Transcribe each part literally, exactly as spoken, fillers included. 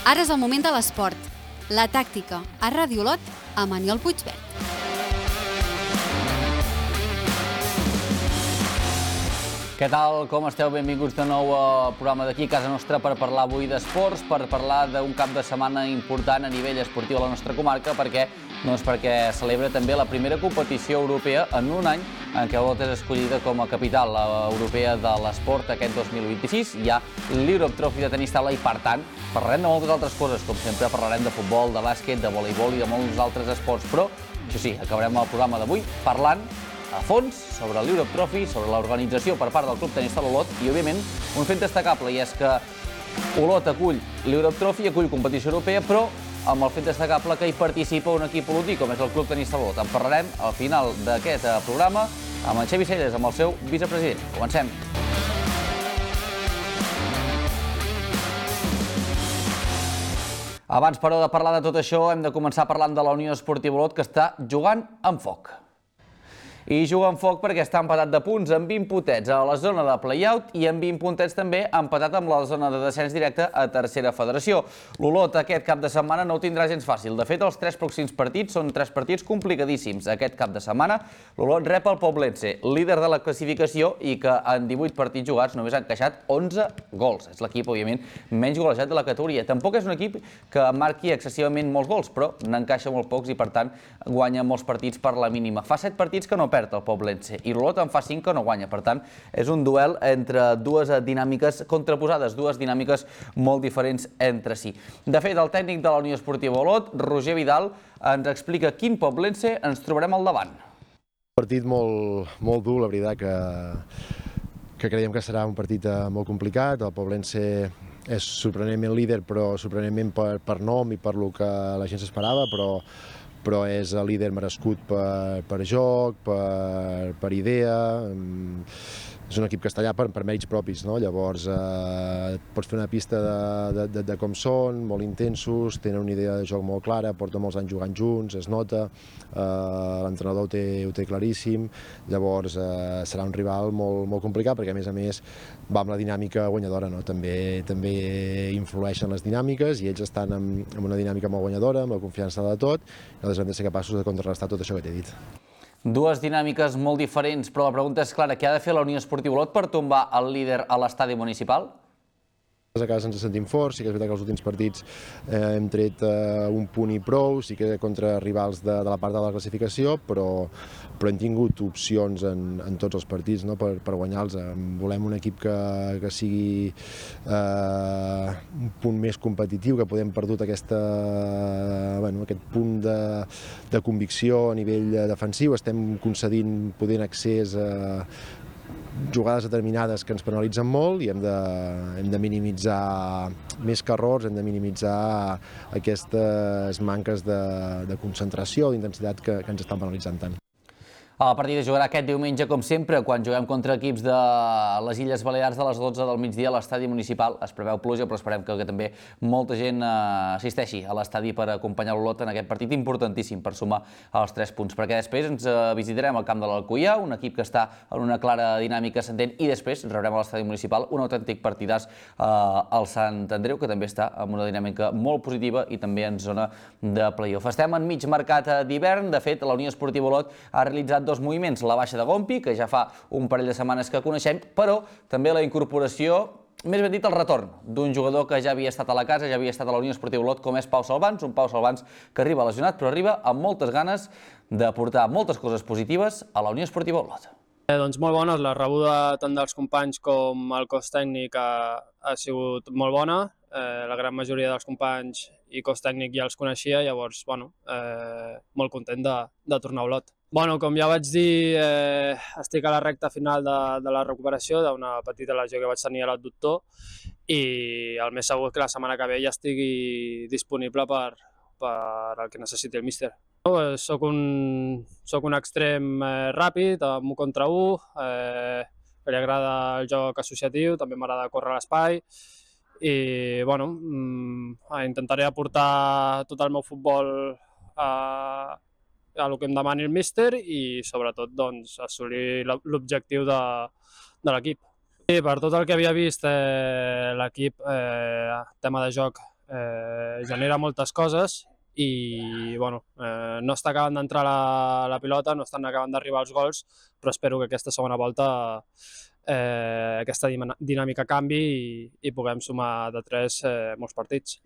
Ara és el moment de l'esport. La tàctica a Ràdio Olot amb Aniol Puigvert. Què tal? Com esteu? Benvinguts de nou al programa d'aquí, casa nostra, per parlar avui d'esports, per parlar d'un cap de setmana important a nivell esportiu a la nostra comarca, perquè doncs perquè celebra també la primera competició europea en un any en què Olot és escollida com a capital europea de l'esport aquest dos mil vint-i-sis. Hi ha l'Europe Trophy de tenis taula i, per tant, parlarem de moltes altres coses, com sempre parlarem de futbol, de bàsquet, de voleibol i de molts altres esports, però, això sí, acabarem el programa d'avui parlant a fons sobre l'Europe Trophy, sobre l'organització per part del Club Tenis Taula Olot i, òbviament, un fet destacable, i és que Olot acull l'Europe Trophy, acull competició europea, però amb el fet destacable que hi participa un equip olotí, com és el Club Tenis Taula Olot. En parlarem al final d'aquest programa amb en Xavi Celles, amb el seu vicepresident. Comencem. Abans, però, de parlar de tot això, hem de començar parlant de la Unió Esportiva Olot, que està jugant amb foc. I juga amb foc perquè està empatat de punts amb vint puntets a la zona de play-out i amb vint puntets també empatat amb la zona de descens directe a tercera federació. L'Olot aquest cap de setmana no ho tindrà gens fàcil. De fet, els tres pròxims partits són tres partits complicadíssims. Aquest cap de setmana l'Olot rep el Poblense, líder de la classificació i que en divuit partits jugats només ha encaixat onze gols. És l'equip, òbviament, menys golejat de la categoria. Tampoc és un equip que marqui excessivament molts gols, però n'encaixa molt pocs i, per tant, guanya molts partits per la mínima. Fa set partits que no perd el Poblense i l'Olot en fa cinc que no guanya. Per tant, és un duel entre dues dinàmiques contraposades, dues dinàmiques molt diferents entre si. De fet, el tècnic de la Unió Esportiva Olot, Roger Vidal, ens explica quin Poblense ens trobarem al davant. Un partit molt, molt dur, la veritat, que, que creiem que serà un partit molt complicat. El Poblense és sorprenentment líder, però sorprenentment per, per nom i per lo que la gent s'esperava, però però és el líder merescut per, per joc, per, per idea. És un equip castellà per, per mèrits propis, no? Llavors eh, pots fer una pista de, de, de com són, molt intensos, tenen una idea de joc molt clara, porten molts anys jugant junts, es nota, eh, l'entrenador ho té, ho té claríssim, llavors eh, serà un rival molt, molt complicat perquè a més a més va amb la dinàmica guanyadora, no? També, també influeixen les dinàmiques i ells estan amb, amb una dinàmica molt guanyadora, amb la confiança de tot, i nosaltres hem de ser capaços de contrarrestar tot això que t'he dit. Dues dinàmiques molt diferents, però la pregunta és clara. Què ha de fer la Unió Esportiva Olot per tombar el líder a l'estadi municipal? A casa ens sentim forts, sí que és veritat que els últims partits eh, hem tret eh, un punt i prou, sí que contra rivals de, de la part de la classificació, però, però hem tingut opcions en, en tots els partits, no? per, per guanyar-los. Volem un equip que, que sigui eh, un punt més competitiu, que podem perdut aquesta, bueno, aquest punt de, de convicció a nivell defensiu. Estem concedint potent accés a jugades determinades que ens penalitzen molt i hem de, hem de minimitzar, més que errors, hem de minimitzar aquestes manques de, de concentració, d'intensitat que, que ens estan penalitzant tant. El partit es jugarà aquest diumenge, com sempre, quan juguem contra equips de les Illes Balears a les dotze del migdia a l'estadi municipal. Es preveu pluja, però esperem que, que també molta gent assisteixi a l'estadi per acompanyar l'Olot en aquest partit importantíssim per sumar els tres punts, perquè després ens visitarem al camp de l'Alcoià, un equip que està en una clara dinàmica ascendent, i després rebrem a l'estadi municipal un autèntic partidàs eh, al Sant Andreu, que també està en una dinàmica molt positiva i també en zona de play-off. Estem en mig mercat d'hivern. De fet, la Unió Esportiva Olot ha realitzat dos moviments, la baixa de Gompi, que ja fa un parell de setmanes que coneixem, però també la incorporació, més ben dit el retorn, d'un jugador que ja havia estat a la casa, ja havia estat a la Unió Esportiva Olot, com és Pau Salvans, un Pau Salvans que arriba lesionat, però arriba amb moltes ganes de portar moltes coses positives a la Unió Esportiva Olot. Eh, doncs molt bones, la rebuda tant dels companys com el cos tècnic ha, ha sigut molt bona. Eh, la gran majoria dels companys i cos tècnic ja els coneixia, llavors, bueno, eh, molt content de, de tornar a Olot. Bueno, com ja vaig dir, eh, estic a la recta final de, de la recuperació d'una petita lesió que vaig tenir a l'adductor i el més segur que la setmana que ve ja estigui disponible per, per el que necessiti el míster. No, soc, un, soc un extrem eh, ràpid, amb un contra un, eh, que li agrada el joc associatiu, també m'agrada córrer a l'espai i bueno, intentaré aportar tot el meu futbol a a el que em demani el míster i sobretot doncs, assolir l'objectiu de, de l'equip. I per tot el que havia vist, eh, l'equip, eh, tema de joc, eh, genera moltes coses i bueno, eh, no està acabant d'entrar la, la pilota, no estan acabant d'arribar els gols, però espero que aquesta segona volta eh, aquesta dinàmica canvi i, i puguem sumar de tres eh, molts partits.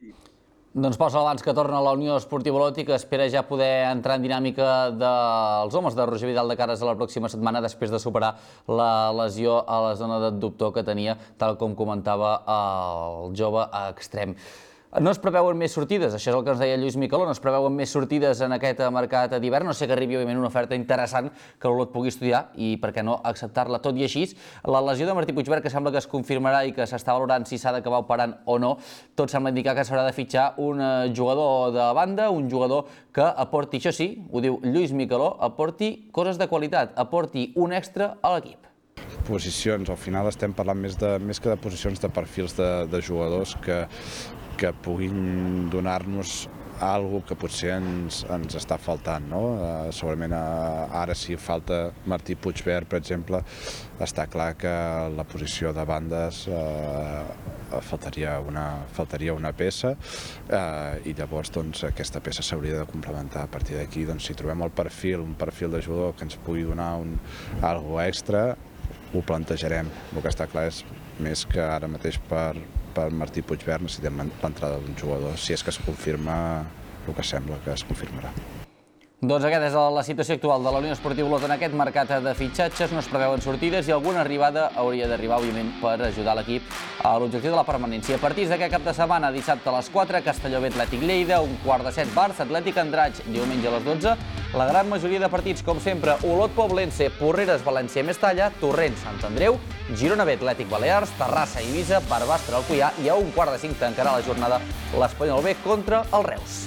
Doncs posa abans que torna la Unió Esportiva Olot i que espera ja poder entrar en dinàmica dels homes de Roger Vidal de cares a la pròxima setmana després de superar la lesió a la zona d'abductor que tenia, tal com comentava el jove extrem. No es preveuen més sortides, això és el que ens deia Lluís Micaló, no es preveuen més sortides en aquest mercat d'hivern, no sé que arribi òbviament una oferta interessant que l'Olot pugui estudiar i per què no acceptar-la. Tot i així, la lesió de Martí Puigvert, que sembla que es confirmarà i que s'està valorant si s'ha d'acabar operant o no, tot sembla indicar que s'haurà de fitxar un jugador de banda, un jugador que aporti, això sí, ho diu Lluís Micaló, aporti coses de qualitat, aporti un extra a l'equip. Posicions, al final estem parlant més, de, més que de posicions de perfils de, de jugadors que que puguin donar-nos alguna que potser ens, ens està faltant, no? Uh, segurament uh, ara si falta Martí Puigvert, per exemple, està clar que la posició de bandes uh, faltaria, una, faltaria una peça uh, i llavors doncs, aquesta peça s'hauria de complementar. A partir d'aquí, doncs, si trobem el perfil, un perfil de jugador que ens pugui donar un, alguna extra, ho plantejarem. El que està clar és més que ara mateix per per Martí Puigvert necessitem l'entrada d'un jugador, si és que es confirma el que sembla que es confirmarà. Doncs aquesta és la situació actual de la Unió Esportiva Olot en aquest mercat de fitxatges, no es preveuen sortides i alguna arribada hauria d'arribar, òbviament, per ajudar l'equip a l'objectiu de la permanència. Partits d'aquest cap de setmana, dissabte a les quatre, Castelló B Atlètic Lleida, un quart de set Barça, Atlètic Andratx, diumenge a les dotze. La gran majoria de partits, com sempre, Olot Poblense, Porreres, València, Mestalla, Torrent, Sant Andreu, Girona B Atlètic Balears, Terrassa, Eivissa, Barbastre, Alcoià i a un quart de cinc tancarà la jornada l'Espanyol B contra el Reus.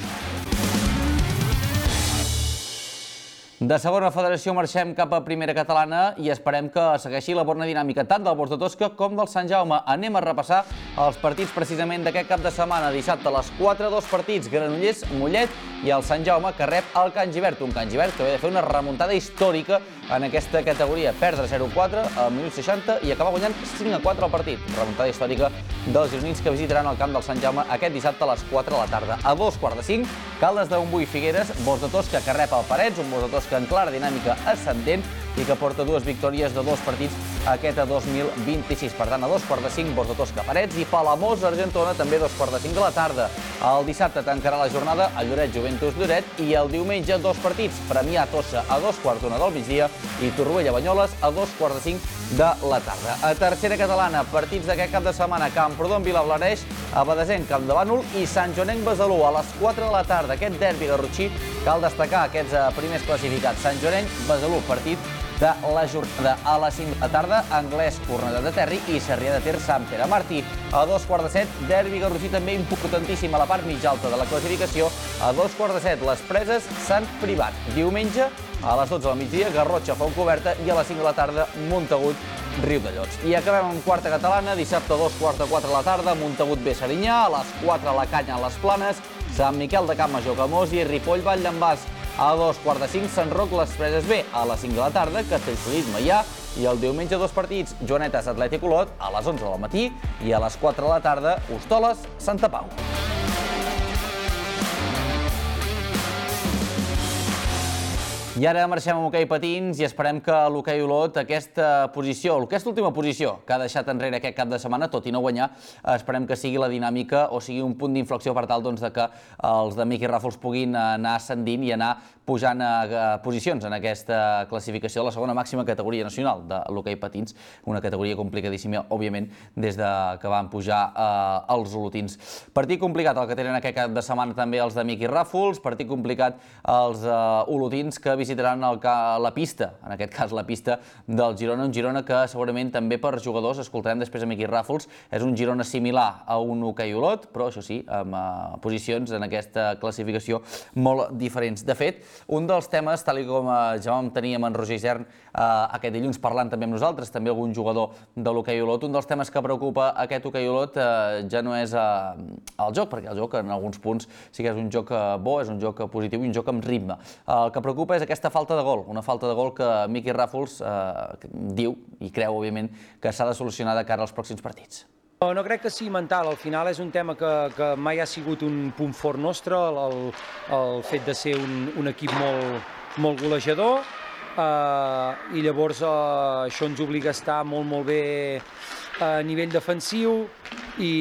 De segona federació marxem cap a primera catalana i esperem que segueixi la bona dinàmica tant del Bosc de Tosca com del Sant Jaume. Anem a repassar els partits precisament d'aquest cap de setmana. Dissabte a les quatre, dos partits, Granollers, Mollet i el Sant Jaume que rep el Can Gibert. Un Can Gibert que ve de fer una remuntada històrica en aquesta categoria. Perdre zero a quatre al minut seixanta i acabar guanyant cinc a quatre el partit. Remuntada històrica dels gironins que visitaran el camp del Sant Jaume aquest dissabte a les quatre de la tarda. A dos quarts de cinc, Caldes de Montbui Figueres, Bosc de Tosca que rep el Parets, un Bosc de Tosca en clara dinàmica ascendent i que porta dues victòries de dos partits aquest a dos mil vint-i-sis. Per tant, a dos quarts de cinc, Bosc de Tosca Parets i Palamós Argentona també a dos quarts de cinc de la tarda. El dissabte tancarà la jornada a Lloret Juventus Lloret i el diumenge dos partits, Premià Tossa a dos quarts d'una del migdia i Torroella Banyoles a dos quarts de cinc de la tarda. A tercera catalana, partits d'aquest cap de setmana, Camprodon Vilablareix, Abadesenc Camp de Bànol i Sant Joanenc Besalú a les quatre de la tarda. Aquest derbi garrotxí cal destacar aquests primers classificats. Sant Joanenc Besalú, partit de la jornada a les cinc de la tarda, Anglès Cornellà de Terri i Sarrià de Ter Sant Pere Martí. A dos quarts de set, derbi garrotxí també importantíssim a la part mitja alta de la classificació. A dos quarts de set, les Preses Sant Privat. Diumenge a les dotze del migdia, Garrotxa Fontcoberta i a les cinc de la tarda, Montagut Riudellots. I acabem amb quarta catalana, dissabte a dos quarts de quatre de la tarda, Montagut B Serinyà, a les quatre la Canya a les Planes, Sant Miquel de Campmajor Camós i Ripoll Vall d'en Bas. A dos quarts de cinc, Sant Roc les Preses B. A les cinc de la tarda, Castellfollit Maià. I el diumenge dos partits, Joanetes Atlètic Olot a les onze del matí i a les quatre de la tarda, Hostoles Santa Pau. I ara marxem amb hoquei patins i esperem que l'hoquei Olot, aquesta posició, aquesta última posició que ha deixat enrere aquest cap de setmana, tot i no guanyar, esperem que sigui la dinàmica o sigui un punt d'inflexió per tal doncs, de que els de Miqui Ràfols puguin anar ascendint i anar pujant a posicions en aquesta classificació de la segona màxima categoria nacional de l'hoquei patins, una categoria complicadíssima, òbviament, des que van pujar eh, els olotins. Partit complicat el que tenen aquest cap de setmana també els de Miqui Ràfols, partit complicat els eh, olotins que visitaran el, la pista, en aquest cas la pista del Girona, un Girona que segurament també per jugadors, escoltarem després a Miqui Ràfols, és un Girona similar a un hoquei Olot, però això sí, amb eh, posicions en aquesta classificació molt diferents. De fet, un dels temes, tal com ja vam tenir amb en Roger Isern eh, aquest dilluns parlant també amb nosaltres, també algun jugador de l'hoquei Olot, un dels temes que preocupa aquest hoquei Olot eh, ja no és eh, el joc, perquè el joc en alguns punts sí que és un joc bo, és un joc positiu i un joc amb ritme. El que preocupa és aquesta falta de gol, una falta de gol que Miqui Ràfols eh, diu i creu, òbviament, que s'ha de solucionar de cara als pròxims partits. No, no crec que sigui mental, al final és un tema que, que mai ha sigut un punt fort nostre, el, el fet de ser un, un equip molt, molt golejador, eh, i llavors eh, això ens obliga a estar molt, molt bé a nivell defensiu, i,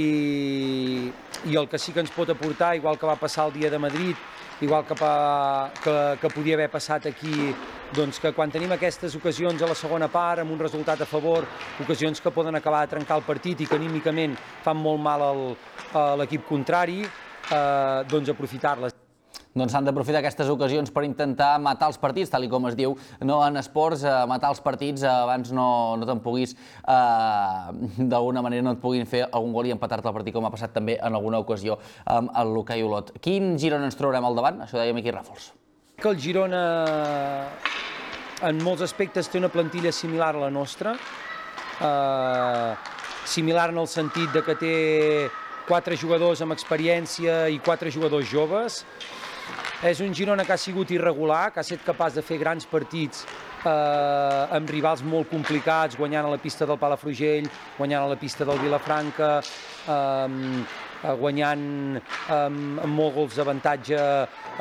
i el que sí que ens pot aportar, igual que va passar el dia de Madrid, igual que, pa, que, que podia haver passat aquí, doncs que quan tenim aquestes ocasions a la segona part, amb un resultat a favor, ocasions que poden acabar de trencar el partit i que anímicament fan molt mal al, a l'equip contrari, eh, doncs aprofitar-les. Doncs s'han d'aprofitar aquestes ocasions per intentar matar els partits, tal com es diu, no en esports, eh, matar els partits eh, abans no, no te'n puguis, eh, d'alguna manera no et puguin fer algun gol i empatar-te el partit, com ha passat també en alguna ocasió amb el l'hoquei Olot. Quin Girona ens trobarem al davant? Això deia Miqui Ràfols. Que el Girona en molts aspectes té una plantilla similar a la nostra, eh, similar en el sentit de que té quatre jugadors amb experiència i quatre jugadors joves. És un Girona que ha sigut irregular, que ha estat capaç de fer grans partits eh, amb rivals molt complicats, guanyant a la pista del Palafrugell, guanyant a la pista del Vilafranca, eh, guanyant amb, amb molts gols d'avantatge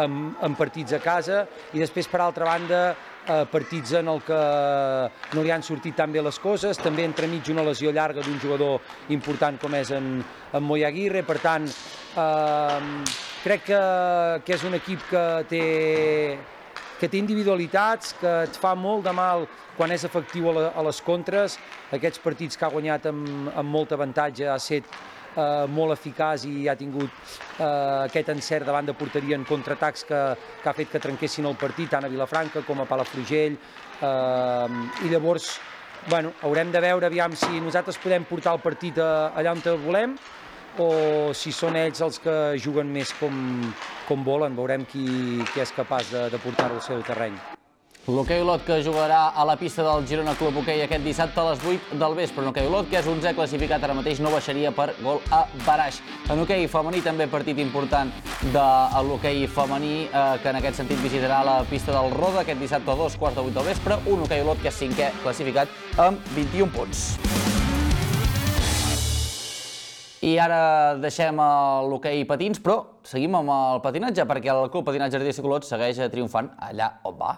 en, en partits a casa, i després, per altra banda, eh, partits en el que no li han sortit tan bé les coses, també entremig una lesió llarga d'un jugador important com és en, en Moi Aguirre. Per tant, eh, crec que, que és un equip que té, que té individualitats, que et fa molt de mal quan és efectiu a, la, a les contres. Aquests partits que ha guanyat amb, amb molt avantatge ha estat eh, molt eficaç i ha tingut eh, aquest encert davant de porteria en contraatacs que, que ha fet que trenquessin el partit, tant a Vilafranca com a Palafrugell. Eh, I llavors, bueno, haurem de veure aviam si nosaltres podem portar el partit a, allà on volem, o si són ells els que juguen més com, com volen. Veurem qui, qui és capaç de, de portar-ho al seu terreny. L'hoquei Olot, que jugarà a la pista del Girona Club Hoquei aquest dissabte a les vuit del vespre. En hoquei Olot, que és onzè classificat ara mateix, no baixaria per gol a baraix. En hoquei femení també partit important de l'hoquei femení, eh, que en aquest sentit visitarà la pista del Roda aquest dissabte a dos quarts de vuit del vespre. Un hoquei Olot que és cinquè classificat amb vint-i-un punts. I ara deixem l'hoquei patins, però seguim amb el patinatge, perquè el Club Patinatge Artístic Olot segueix triomfant allà on va.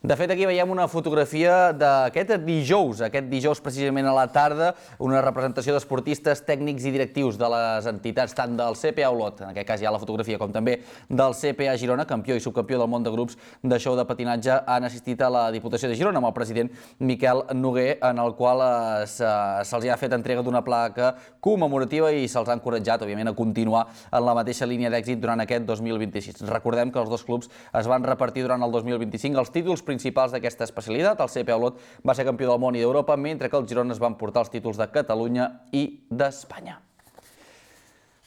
De fet, aquí veiem una fotografia d'aquest dijous, aquest dijous precisament a la tarda, una representació d'esportistes, tècnics i directius de les entitats tant del C P A Olot, en aquest cas hi ha la fotografia, com també del C P A Girona, campió i subcampió del món de grups de show de patinatge, han assistit a la Diputació de Girona amb el president Miquel Noguer, en el qual se'ls ha fet entrega d'una placa commemorativa i se'ls ha encoratjat, òbviament, a continuar en la mateixa línia d'èxit durant aquest dos mil vint-i-sis. Recordem que els dos clubs es van repartir durant el dos mil vint-i-cinc els títols principals d'aquesta especialitat. El C P A Olot va ser campió del món i d'Europa, mentre que els Girona es van portar els títols de Catalunya i d'Espanya.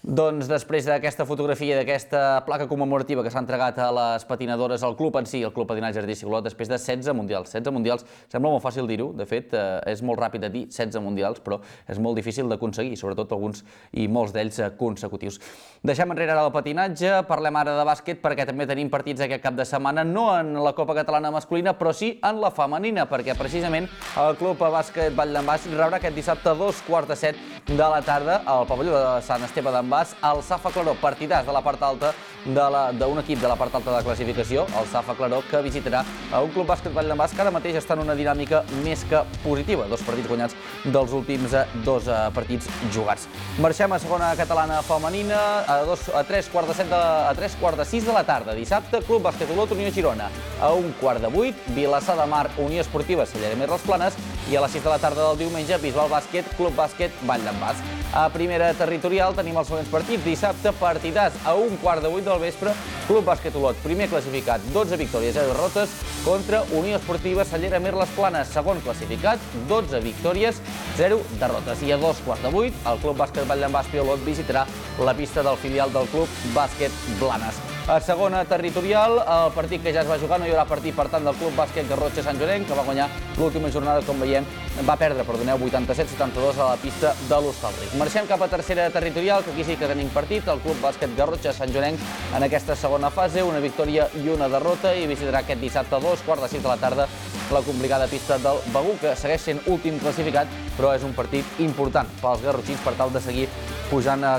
Doncs després d'aquesta fotografia i d'aquesta placa commemorativa que s'ha entregat a les patinadores al club en si, el Club Patinatge Artístic Olot, després de setze mundials. setze mundials, sembla molt fàcil dir-ho, de fet, és molt ràpid de dir setze mundials, però és molt difícil d'aconseguir, sobretot alguns i molts d'ells consecutius. Deixem enrere ara el patinatge, parlem ara de bàsquet, perquè també tenim partits aquest cap de setmana, no en la Copa Catalana masculina, però sí en la femenina, perquè precisament el Club Bàsquet Vall d'en Bas rebrà aquest dissabte a dos quarts de set de la tarda al pavelló de Sant Esteve d'en Bas el Safa Claró, partidàs de la part alta d'un equip de la part alta de la classificació, el Safa Claró, que visitarà a un Club Bàsquet Vall d'en Bas que ara mateix està en una dinàmica més que positiva, dos partits guanyats dels últims dos partits jugats. Marxem a segona catalana femenina a, dos, a tres quarts de set de, a tres quarts de sis de la tarda, dissabte, Club Bàsquet Olot Unió Girona, a un quart de vuit, Vilassar de Mar Unió Esportiva Cellera Més les Planes, i a les sis de la tarda del diumenge, Bisbal Bàsquet Club Bàsquet Vall d'en Bas. A primera territorial tenim els següents partits. Dissabte, partidàs a un quart de vuit del vespre, Club Bàsquet Olot, primer classificat, dotze victòries, zero derrotes, contra Unió Esportiva Cellera Més les Planes, segon classificat, dotze victòries, zero derrotes. I a dos quarts de vuit, el Club Bàsquet Vall d'en Bas Olot visitarà la pista del filial del Club Bàsquet Blanes. A segona territorial, el partit que ja es va jugar, no hi haurà partit, per tant, del Club Bàsquet Garrotxa Sant Joanenc, que va guanyar l'última jornada, com veiem, va perdre, perdoneu, vuitanta-set a setanta-dos a la pista de l'Hostalric. Marxem cap a tercera territorial, que aquí sí que tenim partit, el Club Bàsquet Garrotxa Sant Joanenc en aquesta segona fase, una victòria i una derrota, i visitarà aquest dissabte a dos quarts de sis de la tarda la complicada pista del Begur, que segueix sent últim classificat però és un partit important pels garrotxins per tal de seguir pujant a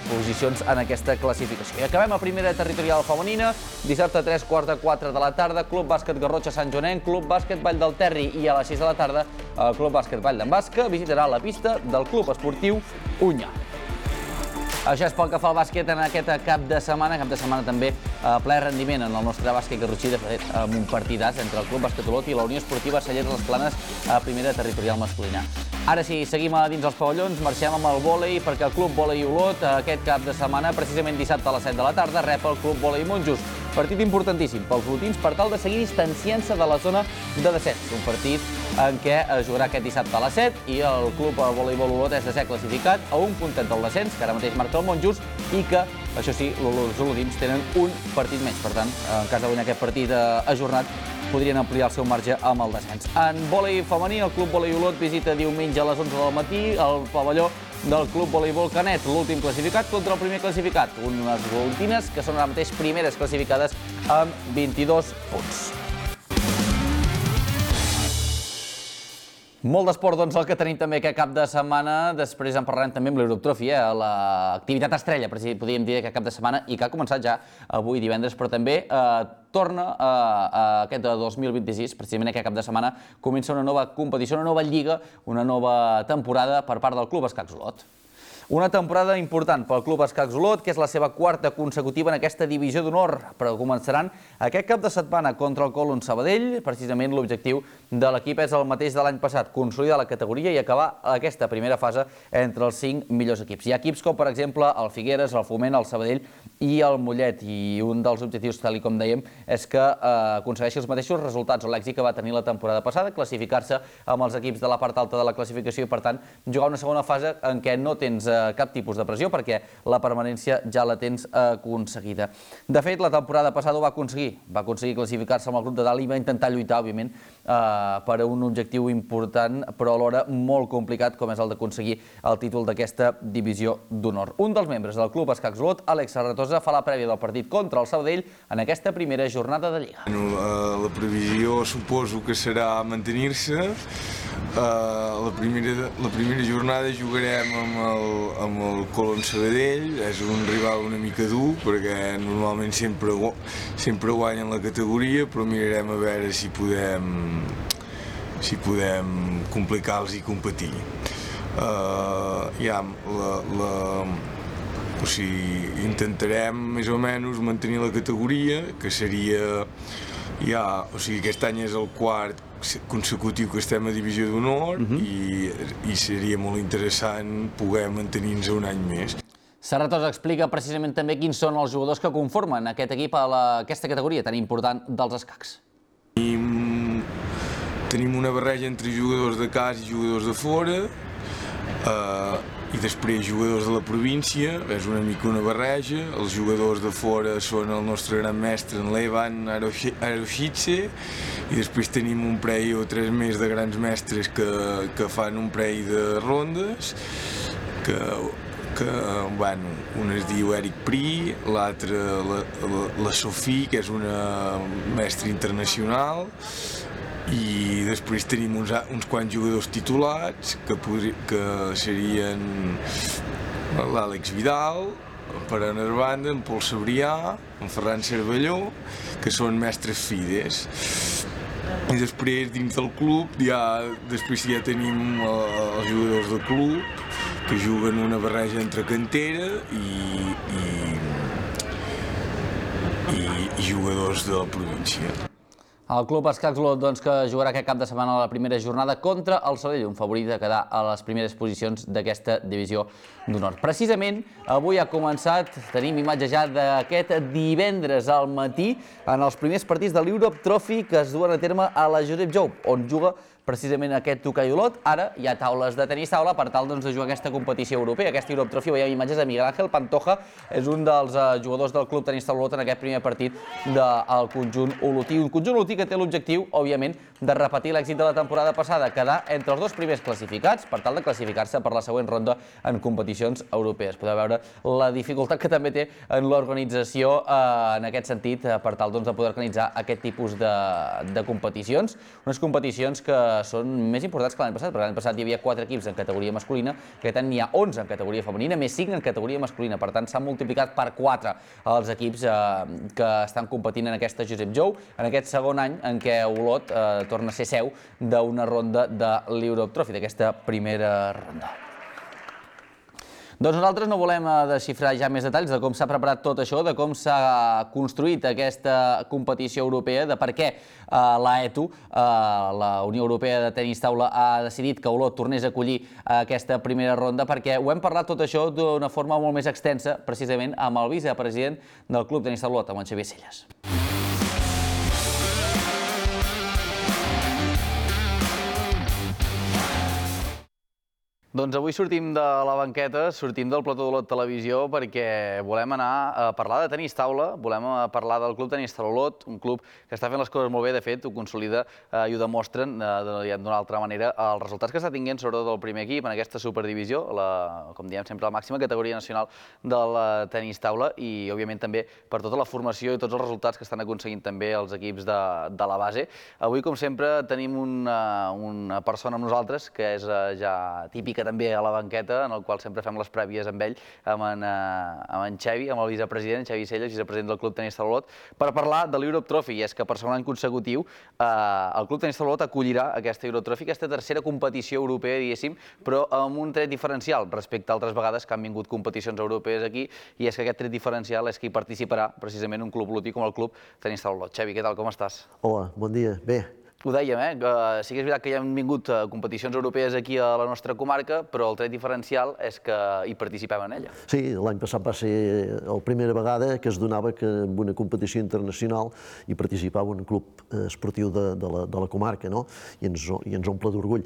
posicions en aquesta classificació. I acabem a primera territorial femenina, dissabte a tres quarts de quatre de la tarda, Club Bàsquet Garrotxa Sant Joanenc, Club Bàsquet Vall del Terri, i a les sis de la tarda el Club Bàsquet Vall d'en Basca visitarà la pista del Club Esportiu Unyà. Això és pel que fa al bàsquet en aquest cap de setmana, cap de setmana també a ple rendiment en el nostre bàsquet garrotxí, de fet, amb un partidàs entre el Club Bàsquet Olot i la Unió Esportiva Cellers Les Planes a primera territorial masculina. Ara sí, seguim a dins els pavellons, marxem amb el vòlei, perquè el Club Vòlei Olot aquest cap de setmana, precisament dissabte a les set de la tarda, rep el Club Vòlei Monjos. Partit importantíssim pels olotins per tal de seguir distanciant-se de la zona de descens. Un partit en què es jugarà aquest dissabte a les set i el Club Voleibol Olot és de ser classificat a un puntet del descens, que ara mateix marca el Monjos, i que, això sí, els olotins tenen un partit menys. Per tant, en cas de guanyar aquest partit ajornat, podrien ampliar el seu marge amb el descens. En vòlei femení, el Club Vòlei Olot visita diumenge a les onze del matí el pavelló del Club Voleibol Canet, l'últim classificat contra el primer classificat. Unes olotines que són ara mateix primeres classificades amb vint-i-dos punts. Molt d'esport, doncs, el que tenim també aquest cap de setmana. Després en parlarem també amb l'Europe Trophy, eh? L'activitat estrella, podríem dir, aquest cap de setmana, i que ha començat ja avui divendres, però també eh, torna a, a aquest dos mil vint-i-sis, precisament aquest cap de setmana, comença una nova competició, una nova lliga, una nova temporada per part del Club Escacs Olot. Una temporada important pel Club Escacs Olot, que és la seva quarta consecutiva en aquesta divisió d'honor, però començaran aquest cap de setmana contra el Colón Sabadell. Precisament l'objectiu de l'equip és el mateix de l'any passat, consolidar la categoria i acabar aquesta primera fase entre els cinc millors equips. Hi ha equips com, per exemple, el Figueres, el Foment, el Sabadell i el Mollet, i un dels objectius, tal com dèiem, és que eh, aconsegueixi els mateixos resultats o l'èxit que va tenir la temporada passada, classificar-se amb els equips de la part alta de la classificació i, per tant, jugar una segona fase en què no tens cap tipus de pressió perquè la permanència ja la tens aconseguida. De fet, la temporada passada ho va aconseguir. Va aconseguir classificar-se amb el grup de dalt i va intentar lluitar, òbviament, per a un objectiu important, però alhora molt complicat, com és el d'aconseguir el títol d'aquesta divisió d'honor. Un dels membres del Club Escacs Olot, Àlex Serratosa, fa la prèvia del partit contra el Sabadell en aquesta primera jornada de Lliga. La previsió suposo que serà mantenir-se. La primera, la primera jornada jugarem amb el, amb el Colón Sabadell. És un rival una mica dur perquè normalment sempre, sempre guanyen la categoria, però mirarem a veure si podem, si podem complicar-los i competir. Uh, ja, la, la, o sigui, intentarem més o menys mantenir la categoria, que seria, ja, o sigui, aquest any és el quart consecutiu que estem a divisió d'honor, uh-huh. i, i seria molt interessant poder mantenir-nos un any més. Serratosa explica precisament també quins són els jugadors que conformen aquest equip a la, aquesta categoria tan important dels escacs. Tenim, tenim una barreja entre jugadors de casa i jugadors de fora, eh, i després jugadors de la província, és una mica una barreja. Els jugadors de fora són el nostre gran mestre, en Levan Aroshitse, i després tenim un parell o tres més de grans mestres que, que fan un parell de rondes, que, que bueno, un es diu Eric Pri, l'altre la, la, la Sofí, que és una mestra internacional, i després tenim uns, uns quants jugadors titulats, que, podri, que serien l'Àlex Vidal, per anar a banda, en Pol Sabrià, en Ferran Cervelló, que són mestres fides. I després, dins del club, ja, després ja tenim els jugadors del club, que juguen una barreja entre cantera i, i, i, i jugadors de la província. El Club Escacs Olot, doncs, que jugarà aquest cap de setmana a la primera jornada contra el Sabadell, un favorit de quedar a les primeres posicions d'aquesta divisió d'honor. Precisament, avui ha començat, tenim imatge ja d'aquest divendres al matí, en els primers partits de l'Europe Trophy que es duen a terme a la Josep Jou, on juga precisament aquest Tokai Olot. Ara hi ha taules de tenis taula per tal, doncs, de jugar aquesta competició europea, aquesta Europe Trophy. Veiem imatges de Miguel Ángel Pantoja, és un dels uh, jugadors del Club Tenis Taula Olot en aquest primer partit del conjunt olotí. Un conjunt olotí que té l'objectiu, òbviament, de repetir l'èxit de la temporada passada, quedar entre els dos primers classificats per tal de classificar-se per la següent ronda en competicions europees. Podeu veure la dificultat que també té en l'organització uh, en aquest sentit, uh, per tal, doncs, de poder organitzar aquest tipus de, de competicions. Unes competicions que són més importants que l'any passat, perquè l'any passat hi havia quatre equips en categoria masculina, aquest any n'hi ha onze en categoria femenina, més cinc en categoria masculina, per tant s'han multiplicat per quatre els equips que estan competint en aquesta Josep Jou, en aquest segon any en què Olot torna a ser seu d'una ronda de l'Europe Trophy, d'aquesta primera ronda. Doncs nosaltres no volem desxifrar ja més detalls de com s'ha preparat tot això, de com s'ha construït aquesta competició europea, de per què l'A E T U, la Unió Europea de Tenis Taula, ha decidit que Olot tornés a acollir aquesta primera ronda, perquè ho hem parlat tot això d'una forma molt més extensa, precisament amb el vicepresident del Club Tenis Taula Olot, amb en Xavier Selles. Doncs avui sortim de la banqueta, sortim del plató d'Olot Televisió perquè volem anar a parlar de tenis taula, volem parlar del Club Tenis Taula Olot, un club que està fent les coses molt bé, de fet, ho consolida i ho demostren d'una altra manera els resultats que està tinguent, sobretot el primer equip en aquesta superdivisió, com diem sempre, la màxima categoria nacional del tenis taula i, òbviament, també per tota la formació i tots els resultats que estan aconseguint també els equips de la base. Avui, com sempre, tenim una persona amb nosaltres que és ja típica també a la banqueta, en el qual sempre fem les prèvies amb ell, amb en Xavi, amb el vicepresident, Xavi Selles, vicepresident del Club Tenis Taula Olot, per parlar de l'Europe Trophy. I és que per segon any consecutiu el Club Tenis Taula Olot acollirà aquesta Europe Trophy, aquesta tercera competició europea, diguéssim, però amb un tret diferencial respecte a altres vegades que han vingut competicions europees aquí, i és que aquest tret diferencial és que hi participarà precisament un club olotí com el Club Tenis Taula Olot. Xavi, què tal, com estàs? Hola, bon dia. Bé. Ho dèiem, eh? Sí que és veritat que hi han vingut competicions europees aquí a la nostra comarca, però el tret diferencial és que hi participem en ella. Sí, l'any passat va ser la primera vegada que es donava que en una competició internacional hi participava un club esportiu de la comarca, no? I ens omple d'orgull.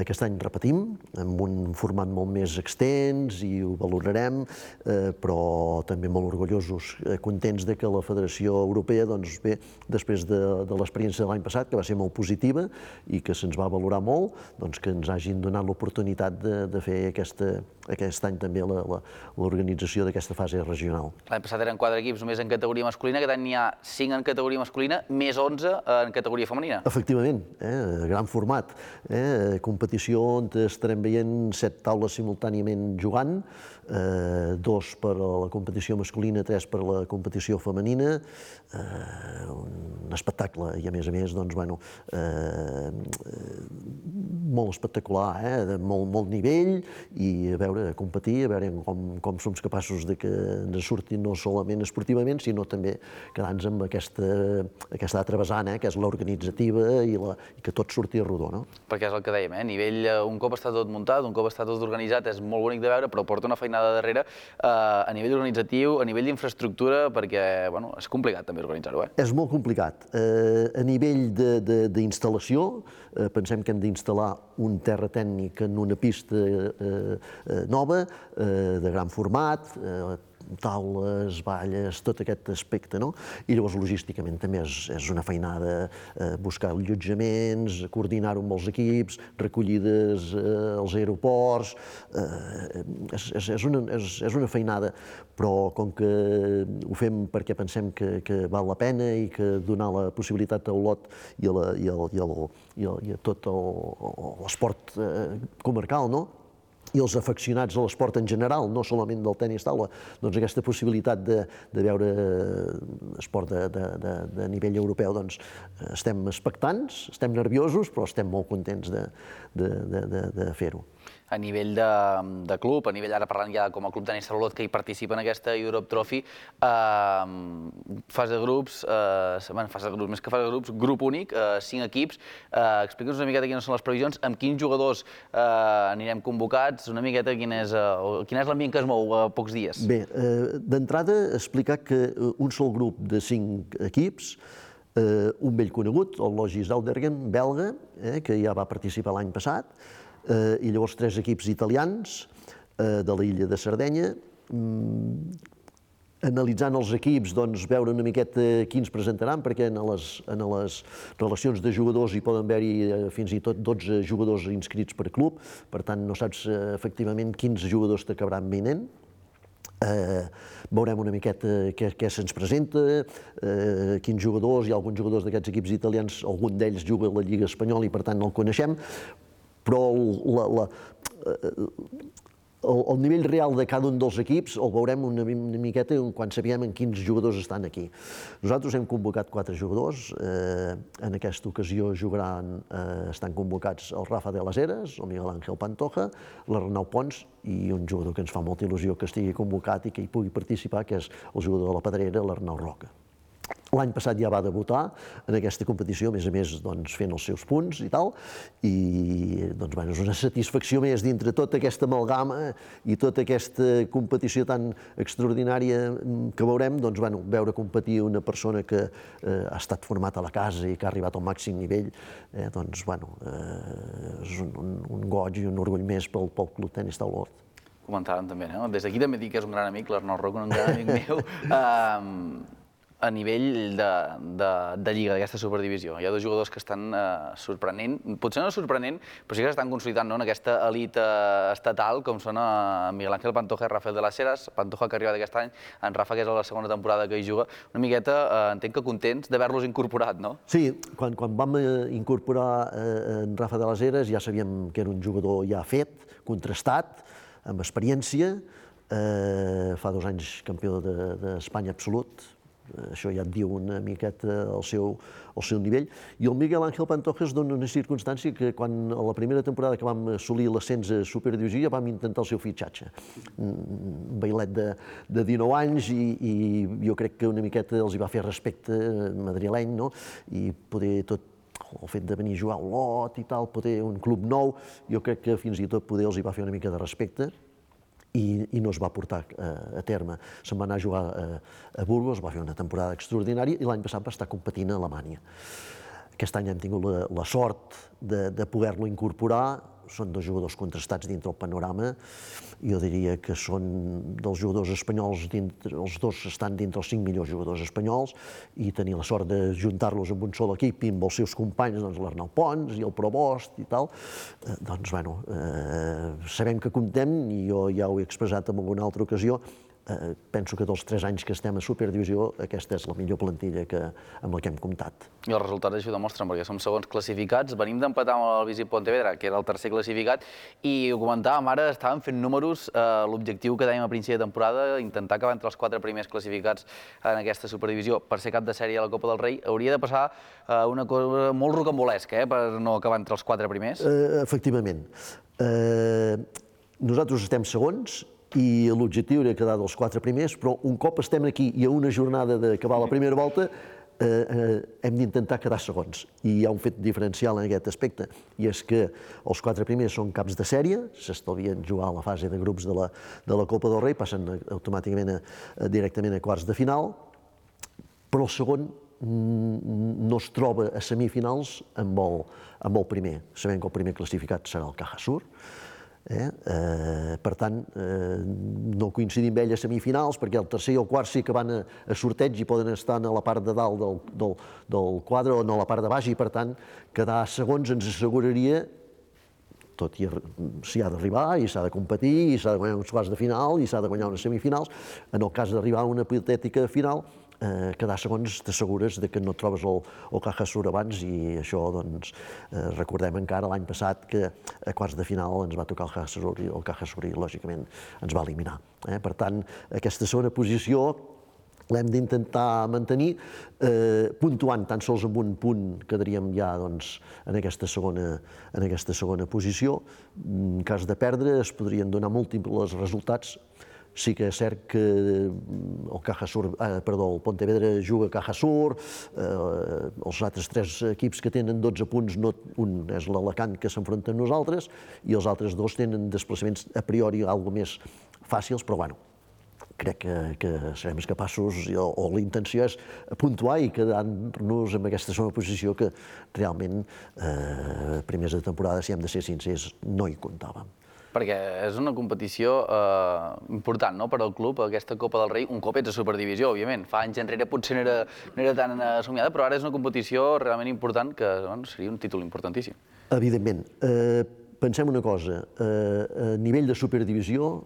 Aquest any repetim, amb un format molt més extens i ho valorarem, però també molt orgullosos, contents que la Federació Europea, doncs bé, després de l'experiència de l'any passat, que va ser molt positiva i que se'ns va valorar molt, doncs que ens hagin donat l'oportunitat de fer aquest any també l'organització d'aquesta fase regional. L'any passat eren quatre equips només en categoria masculina, aquest any n'hi ha cinc en categoria masculina, més onze en categoria femenina. Efectivament, gran format. Competició on estarem veient set taules simultàniament jugant, dos per a la competició masculina, tres per a la competició femenina, un espectacle i a més a més, doncs, bueno, molt espectacular, de molt nivell i a veure, a competir, a veure com som capaços que ens surti no solament esportivament, sinó també quedar-nos amb aquesta altra vessant, que és l'organitzativa i que tot surti a rodó. Perquè és el que dèiem, a nivell, un cop està tot muntat, un cop està tot organitzat, és molt bonic de veure, però porta una feinada darrere a nivell organitzatiu, a nivell d'infraestructura, perquè és complicat també organitzar-ho. És molt complicat. A nivell d'instal·lació, pensem que hem d'instal·lar un terra tècnic en una pista nova, de gran format, taules, valles, tot aquest aspecte, no? I llavors logísticament també és una feinada buscar allotjaments, coordinar-ho amb els equips, recollides als aeroports, és una feinada, però com que ho fem perquè pensem que val la pena i que donar la possibilitat a Olot i a tot l'esport comarcal, no? I els afeccionats a l'esport en general, no solament del tenis taula, doncs aquesta possibilitat de veure esport de nivell europeu, doncs estem expectants, estem nerviosos, però estem molt contents de fer-ho. A nivell de club, a nivell, ara parlant ja com a Club Tenis Taula Olot, que hi participa en aquesta Europe Trophy, fase de grups, fase de grups, més que fase de grups, grup únic, cinc equips. Explica'ns una miqueta quines són les previsions, amb quins jugadors anirem convocats, una miqueta quin és l'ambient que es mou a pocs dies. Bé, d'entrada explicar que un sol grup de cinc equips, un vell conegut, el Logis Audergen, belga, que ja va participar l'any passat, i llavors tres equips italians de l'illa de Sardenya. Analitzant els equips, doncs, veure una miqueta quins presentaran, perquè en les relacions de jugadors hi poden haver-hi fins i tot dotze jugadors inscrits per club, per tant no saps efectivament quins jugadors t'acabaran venint. Veurem una miqueta què se'ns presenta, quins jugadors, hi ha alguns jugadors d'aquests equips italians, algun d'ells juga a la Lliga Espanyola i per tant no el coneixem, però el nivell real de cada un dels equips el veurem una miqueta quan sapiguem en quins jugadors estan aquí. Nosaltres hem convocat quatre jugadors, en aquesta ocasió jugaran, estan convocats el Rafa de las Heras, el Miguel Ángel Pantoja, l'Arnau Pons i un jugador que ens fa molta il·lusió que estigui convocat i que hi pugui participar, que és el jugador de la Pedrera, l'Arnau Roca. L'any passat ja va debutar en aquesta competició, a més a més fent els seus punts i tal, i és una satisfacció més dintre tota aquesta amalgama i tota aquesta competició tan extraordinària que veurem, veure competir una persona que ha estat format a la casa i que ha arribat al màxim nivell, doncs, bueno, és un goig i un orgull més pel Club Tenis Taula Hort. Comentàvem també, no? Des d'aquí també dic que és un gran amic, l'Arnau Roca, un gran amic meu. A nivell de lliga, d'aquesta superdivisió, hi ha dos jugadors que estan sorprenent, potser no sorprenent, però sí que s'estan consolidant en aquesta elit estatal, com són Miguel Ángel Pantoja i Rafael de las Heras. Pantoja, que ha arribat aquest any, en Rafa, que és la segona temporada que hi juga. Una miqueta, entenc que contents d'haver-los incorporat, no? Sí, quan vam incorporar en Rafa de las Heras ja sabíem que era un jugador ja fet, contrastat, amb experiència, fa dos anys campió d'Espanya absolut. Això ja et diu una miqueta el seu nivell. I el Miguel Ángel Pantoja es dona una circumstància que quan a la primera temporada que vam assolir l'ascens a Superdivisió ja vam intentar el seu fitxatge. Un bailet de dinou anys i jo crec que una miqueta els hi va fer respecte madrileny, no? I poder tot el fet de venir a jugar a Olot i tal, poder un club nou, jo crec que fins i tot poder els hi va fer una mica de respecte i no es va portar a terme. Se'n va anar a jugar a Burgos, va fer una temporada extraordinària i l'any passat va estar competint a Alemanya. Aquest any hem tingut la sort de poder-lo incorporar. Són dos jugadors contrastats dintre el panorama. Jo diria que són dels jugadors espanyols, els dos estan dintre els cinc millors jugadors espanyols i tenir la sort de juntar-los en un sol equip i amb els seus companys, l'Arnau Pons i el Provost i tal, doncs, bueno, sabem que comptem i jo ja ho he expressat en alguna altra ocasió. Penso que dels tres anys que estem a Superdivisió aquesta és la millor plantilla amb la que hem comptat. I els resultats això ho demostren, perquè som segons classificats, venim d'empatar amb el Visit Pontevedra, que era el tercer classificat, i ho comentàvem ara, estàvem fent números, l'objectiu que dèiem a principi de temporada, intentar acabar entre els quatre primers classificats en aquesta Superdivisió per ser cap de sèrie a la Copa del Rei, hauria de passar una cosa molt rocambolesca per no acabar entre els quatre primers. Efectivament. Nosaltres estem segons, i l'objectiu era quedar dels quatre primers, però un cop estem aquí i a una jornada d'acabar la primera volta hem d'intentar quedar segons. I hi ha un fet diferencial en aquest aspecte, i és que els quatre primers són caps de sèrie, s'estalvien jugar a la fase de grups de la Copa del Rei, passen automàticament directament a quarts de final, però el segon no es troba a semifinals amb el primer. Sabem que el primer classificat serà el Caja Sur. Per tant, no coincidim amb ell a semifinals perquè el tercer i el quart sí que van a sorteig i poden estar a la part de dalt del quadre o a la part de baix i per tant quedar segons ens asseguraria, tot i s'hi ha d'arribar i s'ha de competir i s'ha de guanyar uns quarts de final i s'ha de guanyar unes semifinals, en el cas d'arribar a una hipotètica final quedar segons t'assegures que no et trobes el Caja Sur abans i això, doncs, recordem encara l'any passat que a quarts de final ens va tocar el Caja Sur i el Caja Sur i lògicament ens va eliminar. Per tant, aquesta segona posició l'hem d'intentar mantenir, puntuant tan sols amb un punt quedaríem ja en aquesta segona posició. En cas de perdre es podrien donar múltiples resultats. Sí que és cert que el Caja Sur, perdó, el Pontevedra juga a Caja Sur, els altres tres equips que tenen dotze punts, un és l'Alacant que s'enfronta amb nosaltres i els altres dos tenen desplaçaments a priori alguna més fàcils, però bueno, crec que serem capaços, o la intenció és puntuar i quedar-nos en aquesta segona posició que realment primers de temporada, si hem de ser sincers, no hi comptàvem. Perquè és una competició important per al club, aquesta Copa del Rei, un cop ets a Superdivisió, òbviament. Fa anys enrere potser no era tan somiada, però ara és una competició realment important que seria un títol importantíssim. Evidentment. Pensem una cosa, a nivell de Superdivisió,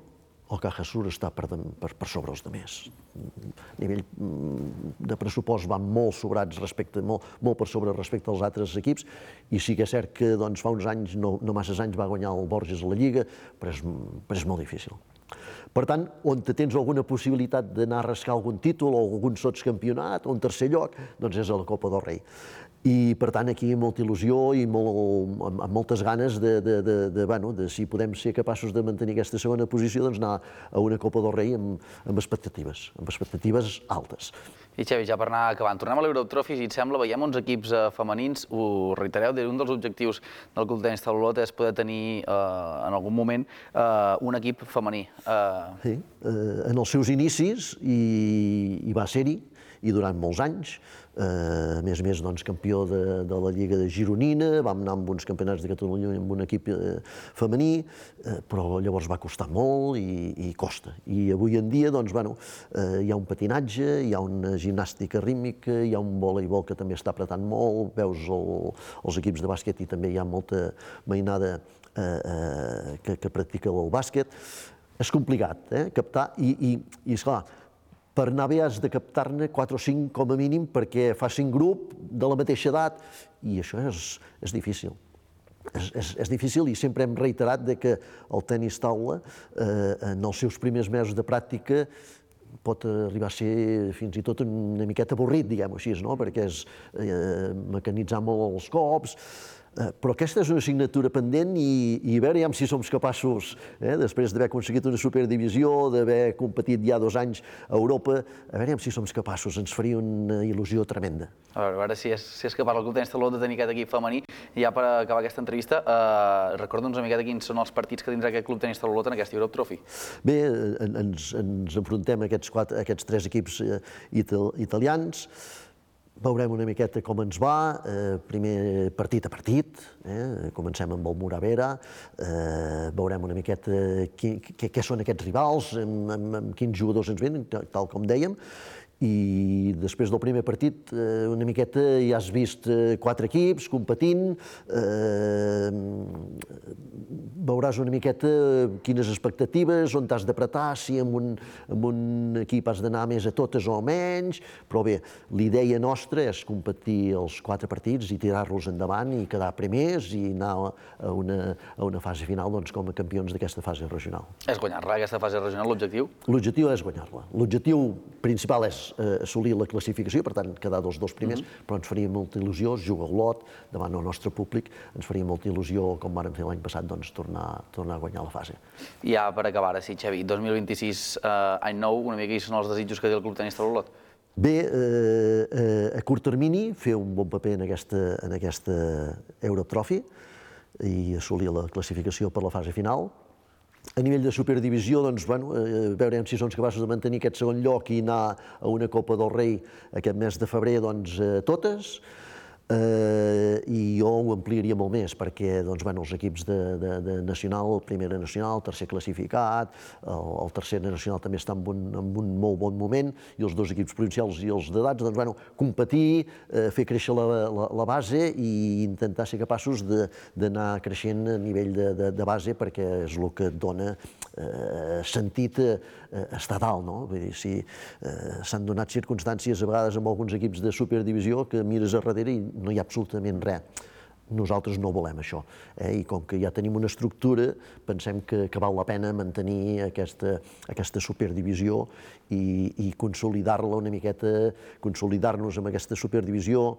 el Caja Sur està per, per, per sobre els altres. A nivell de pressupost van molt sobrats respecte, molt, molt per sobre respecte als altres equips, i sí que és cert que doncs, fa uns anys, no, no massa anys, va guanyar el Borges a la Lliga, però és, però és molt difícil. Per tant, on tens alguna possibilitat d'anar a rascar algun títol o algun sotscampionat o un tercer lloc, doncs és a la Copa del Rei. I, per tant, aquí molta il·lusió i molt, amb, amb moltes ganes de, de, de, de, bueno, de si podem ser capaços de mantenir aquesta segona posició, doncs anar a una Copa del Rei amb, amb expectatives, amb expectatives altes. I Xavi, ja per anar acabant, tornem a l'Europe Trophy, si et sembla, veiem uns equips eh, femenins, ho reitereu, un dels objectius del Club Tenis Taulot és poder tenir eh, en algun moment eh, un equip femení. Eh... Sí, eh, en els seus inicis hi, hi va ser-hi, i durant molts anys, eh, a més a més doncs, campió de, de la Lliga de Gironina, vam anar amb uns campionats de Catalunya amb un equip eh, femení, eh, però llavors va costar molt i, i costa. I avui en dia doncs, bueno, eh, hi ha un patinatge, hi ha una gimnàstica rítmica, hi ha un voleibol que també està apretant molt, veus el, els equips de bàsquet i també hi ha molta mainada eh, eh, que, que practica el bàsquet. És complicat, eh, captar, i, i, i esclar, per anar bé has de captar-ne quatre o cinc com a mínim perquè facin grup de la mateixa edat, i això és, és difícil. És, és, és difícil, i sempre hem reiterat de que el tenis taula, eh, en els seus primers mesos de pràctica, pot arribar a ser fins i tot una miqueta avorrit, diguem-ho així, no? Perquè és eh, mecanitzar molt els cops. Eh, però aquesta és una assignatura pendent i, i a veure si som capaços, eh, després d'haver aconseguit una superdivisió, d'haver competit ja dos anys a Europa, a veure si som capaços, ens faria una il·lusió tremenda. A veure, a veure si, és, si és capaç el Club Tenis Taulot de tenir aquest equip femení. I ja per acabar aquesta entrevista, eh, recorda'ns una miqueta quins són els partits que tindrà aquest Club Tenis Taulot en aquesta Europe Trophy. Bé, ens, ens enfrontem a aquests, quatre, a aquests tres equips eh, ital, italians. Veurem una miqueta com ens va, eh, primer partit a partit, eh, comencem amb el Muravera, eh, veurem una miqueta qui, qui, què són aquests rivals, amb, amb, amb quins jugadors ens venen, tal com dèiem, i després del primer partit eh, una miqueta ja has vist eh, quatre equips competint, eh, veuràs una miqueta quines expectatives, on t'has d'apretar, si amb un, amb un equip has d'anar més a totes o menys, però bé, l'idea nostra és competir els quatre partits i tirar-los endavant i quedar primers i anar a una, a una fase final doncs, com a campions d'aquesta fase regional. És guanyar-la, aquesta fase regional, l'objectiu? L'objectiu és guanyar-la. L'objectiu principal és eh, assolir la classificació, per tant, quedar dels dos primers, mm-hmm. però ens faria molta il·lusió, jugar a Olot, davant del nostre públic, ens faria molta il·lusió, com vàrem fer l'any passat, doncs, tornar, tornar a guanyar la fase. I ja per acabar, ara sí, Xavi, dos mil vint-i-sis, eh, any nou, una mica quins són els desitjos que té el Club Tenis Taulot? Bé, eh, eh, a curt termini, fer un bon paper en aquesta, en aquesta Europe Trophy i assolir la classificació per la fase final. A nivell de superdivisió, doncs, bueno, eh, veurem si som capaços de mantenir aquest segon lloc i anar a una Copa del Rei aquest mes de febrer, doncs, eh, totes. Eh, I jo ho ampliaria molt més, perquè doncs, bueno, els equips de, de, de nacional, el primer nacional, el tercer classificat, el, el tercer nacional també està en un, en un molt bon moment, i els dos equips provincials i els d'edats, doncs, bueno, competir, eh, fer créixer la, la, la base i intentar ser capaços d'anar creixent a nivell de, de, de base, perquè és el que et dona eh, sentit a, a estar dalt, no? Vull dir, si eh, s'han donat circumstàncies a vegades amb alguns equips de superdivisió que mires a darrere i no hi ha absolutament res. Nosaltres no volem això, eh? I com que ja tenim una estructura, pensem que, que val la pena mantenir aquesta, aquesta superdivisió i, i consolidar-la una miqueta, consolidar-nos amb aquesta superdivisió,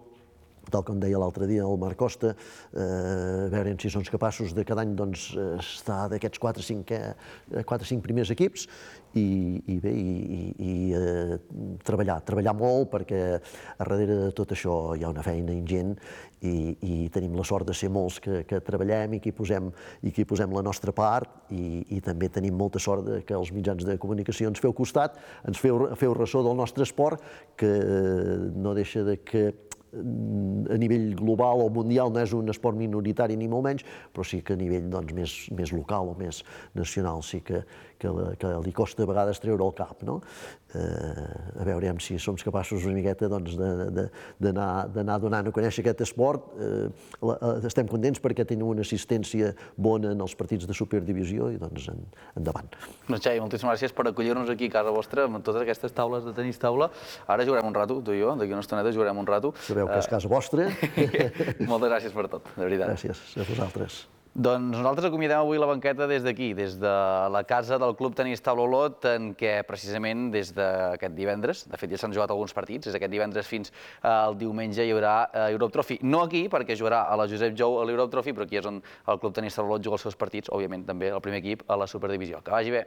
tal com deia l'altre dia el Marc Costa, eh, veure si som capaços de cada any doncs, estar d'aquests quatre o cinc, eh, cinc primers equips i, i bé, i, i eh, treballar, treballar molt, perquè a darrere de tot això hi ha una feina ingent i, i tenim la sort de ser molts que, que treballem i que hi posem, i que hi posem la nostra part i, i també tenim molta sort de que els mitjans de comunicació ens feu costat, ens feu, feu ressò del nostre esport, que no deixa de que a nivell global o mundial no és un esport minoritari ni molt menys, però sí que a nivell doncs, més, més local o més nacional sí que, que, que li costa a vegades treure el cap. No? Eh, a veure si som capaços una miqueta doncs, d'anar donant a conèixer aquest esport. Eh, la, estem contents perquè tenim una assistència bona en els partits de superdivisió i doncs en, endavant. Doncs Xavi, moltíssimes gràcies per acollir-nos aquí a casa vostra amb totes aquestes taules de tenis taula. Ara jugarem un rato, tu i jo, d'aquí una estoneta jugarem un rato. Sabeu que és casa vostra. Moltes gràcies per tot, de veritat. Gràcies a vosaltres. Doncs nosaltres acomiadem avui la banqueta des d'aquí, des de la casa del Club Tenis Taula Olot, en què precisament des d'aquest divendres, de fet ja s'han jugat alguns partits, des d'aquest divendres fins al diumenge hi haurà Europe Trophy. No aquí, perquè jugarà a la Josep Jou a l'Europe Trophy, però aquí és on el Club Tenis Taula Olot juga els seus partits, òbviament també el primer equip a la Superdivisió. Que vagi bé!